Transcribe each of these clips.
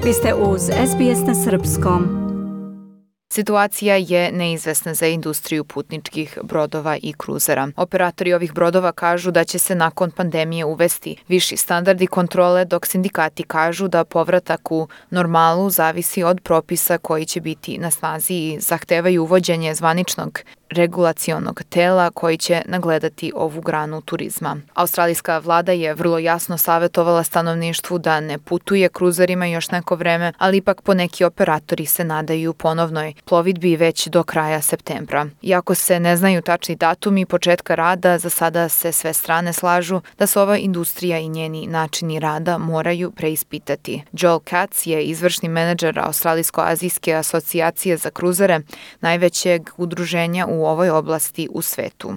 Vi ste uz SBS na srpskom. Situacija je neizvesna za industriju putničkih brodova i kruzera. Operatori ovih brodova kažu da će se nakon pandemije uvesti viši standardi kontrole, dok sindikati kažu da povratak u normalu zavisi od propisa koji će biti na snazi i zahtevaju uvođenje zvaničnog regulacionog tela koji će nagledati ovu granu turizma. Australijska vlada je vrlo jasno savjetovala stanovništvu da ne putuje kruzerima još neko vreme, ali ipak poneki operatori se nadaju ponovnoj plovidbi već do kraja septembra. Iako se ne znaju tačni datumi početka rada, za sada se sve strane slažu da se ova industrija i njeni načini rada moraju preispitati. Joel Katz je izvršni menadžer Australijsko-azijske asocijacije za kruzere, najvećeg udruženja u ovoj oblasti u svetu.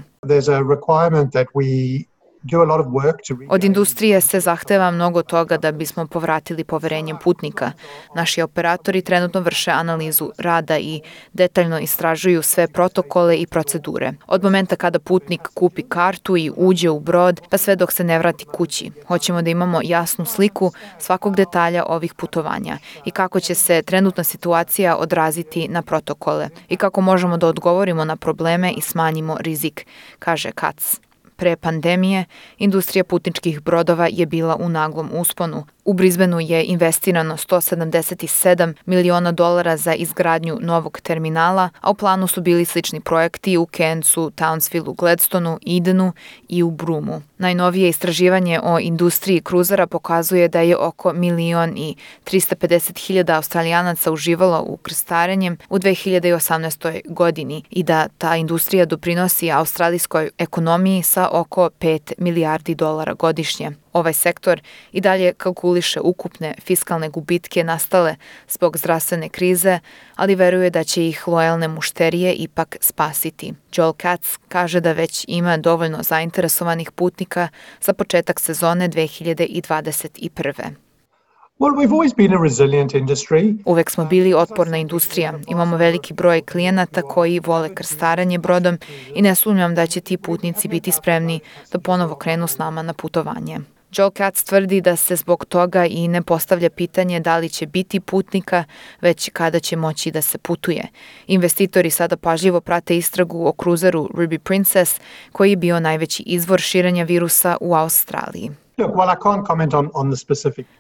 Od industrije se zahteva mnogo toga da bismo povratili poverenje putnika. Naši operatori trenutno vrše analizu rada i detaljno istražuju sve protokole i procedure. Od momenta kada putnik kupi kartu i uđe u brod, pa sve dok se ne vrati kući. Hoćemo da imamo jasnu sliku svakog detalja ovih putovanja i kako će se trenutna situacija odraziti na protokole i kako možemo da odgovorimo na probleme i smanjimo rizik, kaže Katz. Pre pandemije, industrija putničkih brodova je bila u naglom usponu. U Brisbaneu je investirano $177 miliona za izgradnju novog terminala, a u planu su bili slični projekti u Cairnsu, Townsvilleu, Gladstonu, Edenu i u Broomu. Najnovije istraživanje o industriji kruzera pokazuje da je oko 1.350.000 Australijanaca uživalo u krstarenjem u 2018. godini i da ta industrija doprinosi australijskoj ekonomiji sa oko $5 milijardi godišnje. Ovaj sektor i dalje kalkuliše ukupne fiskalne gubitke nastale zbog zdravstvene krize, ali veruje da će ih lojalne mušterije ipak spasiti. Joel Katz kaže da već ima dovoljno zainteresovanih putnika za početak sezone 2021. Uvek smo bili otporna industrija. Imamo veliki broj klijenata koji vole krstarenje brodom i ne sumnjam da će ti putnici biti spremni da ponovo krenu s nama na putovanje. Joel Katz tvrdi da se zbog toga i ne postavlja pitanje da li će biti putnika, već kada će moći da se putuje. Investitori sada pažljivo prate istragu o kruzeru Ruby Princess, koji je bio najveći izvor širenja virusa u Australiji.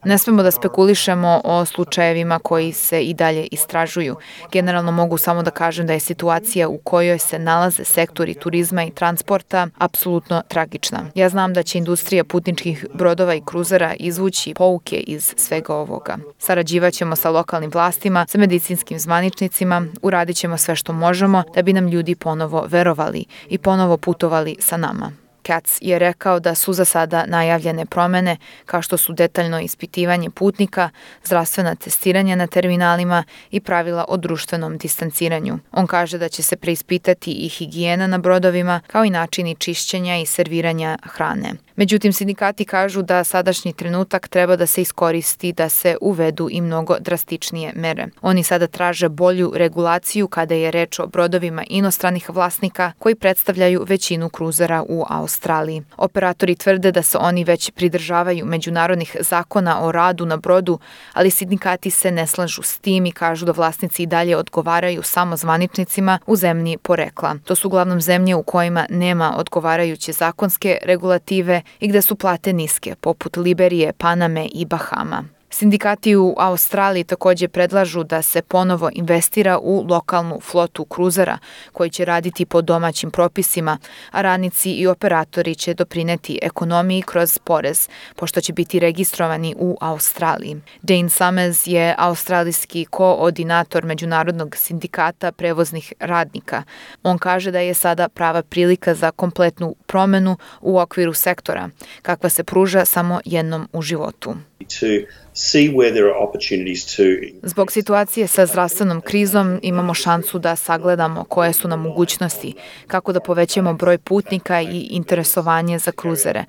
Ne smemo da spekulišemo o slučajevima koji se i dalje istražuju. Generalno mogu samo da kažem da je situacija u kojoj se nalaze sektori turizma i transporta apsolutno tragična. Ja znam da će industrija putničkih brodova i kruzera izvući pouke iz svega ovoga. Sarađivaćemo sa lokalnim vlastima, sa medicinskim zvaničnicima, uradit ćemo sve što možemo da bi nam ljudi ponovo verovali i ponovo putovali sa nama. Katz je rekao da su za sada najavljene promene kao što su detaljno ispitivanje putnika, zdravstvena testiranja na terminalima i pravila o društvenom distanciranju. On kaže da će se preispitati i higijena na brodovima kao i načini čišćenja i serviranja hrane. Međutim, sindikati kažu da sadašnji trenutak treba da se iskoristi da se uvedu i mnogo drastičnije mere. Oni sada traže bolju regulaciju kada je reč o brodovima inostranih vlasnika koji predstavljaju većinu kruzera u Australiji. Operatori tvrde da se oni već pridržavaju međunarodnih zakona o radu na brodu, ali sindikati se ne slažu s tim i kažu da vlasnici i dalje odgovaraju samo zvaničnicima u zemlji porekla. To su uglavnom zemlje u kojima nema odgovarajuće zakonske regulative i gde su plate niske, poput Liberije, Paname i Bahama. Sindikati u Australiji također predlažu da se ponovo investira u lokalnu flotu kruzera koji će raditi po domaćim propisima, a radnici i operatori će doprineti ekonomiji kroz porez, pošto će biti registrovani u Australiji. Dane Summers je australijski koordinator Međunarodnog sindikata prevoznih radnika. On kaže da je sada prava prilika za kompletnu promenu u okviru sektora, kakva se pruža samo jednom u životu. Zbog situacije sa zdravstvenom krizom imamo šansu da sagledamo koje su nam mogućnosti, kako da povećamo broj putnika i interesovanje za kruzere.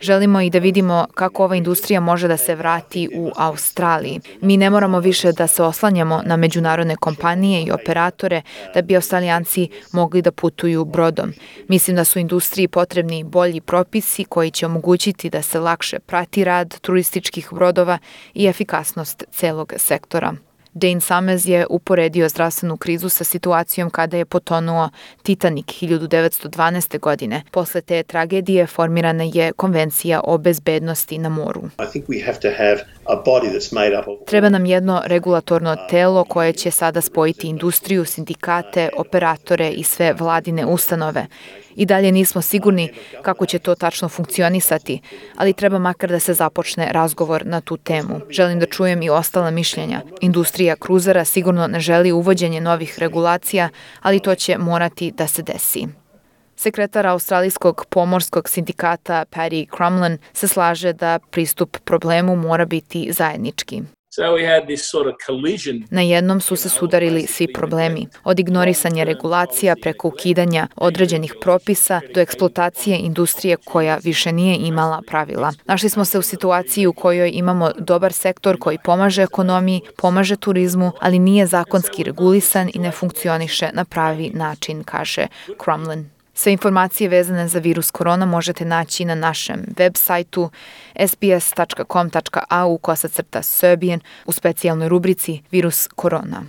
Želimo i da vidimo kako ova industrija može da se vrati u Australiji. Mi ne moramo više da se oslanjamo na međunarodne kompanije i operatore da bi Australijanci mogli da putuju brodom. Mislim da su industriji potrebni bolji propisi koji će omogućiti da se lakše prati rad turističkih brodova i efikasnost celog sektora. Dane Summers je uporedio zdravstvenu krizu sa situacijom kada je potonuo Titanic 1912. godine. Posle te tragedije formirana je Konvencija o bezbednosti na moru. Treba nam jedno regulatorno telo koje će sada spojiti industriju, sindikate, operatore i sve vladine ustanove. I dalje nismo sigurni kako će to tačno funkcionisati, ali treba makar da se započne razgovor na tu temu. Želim da čujem i ostala mišljenja. Industrija kruzera sigurno ne želi uvođenje novih regulacija, ali to će morati da se desi. Sekretar Australijskog pomorskog sindikata Paddy Crumlin se slaže da pristup problemu mora biti zajednički. Na jednom su se sudarili svi problemi, od ignorisanja regulacija preko ukidanja određenih propisa do eksploatacije industrije koja više nije imala pravila. Našli smo se u situaciji u kojoj imamo dobar sektor koji pomaže ekonomiji, pomaže turizmu, ali nije zakonski regulisan i ne funkcioniše na pravi način, kaže Crumlin. Sve informacije vezane za virus korona možete naći na našem web sajtu sbs.com.au/Serbian u specijalnoj rubrici Virus korona.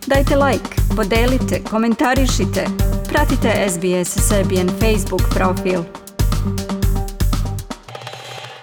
Dajte like, podelite, komentarišite. Pratite SBS Serbian Facebook profil.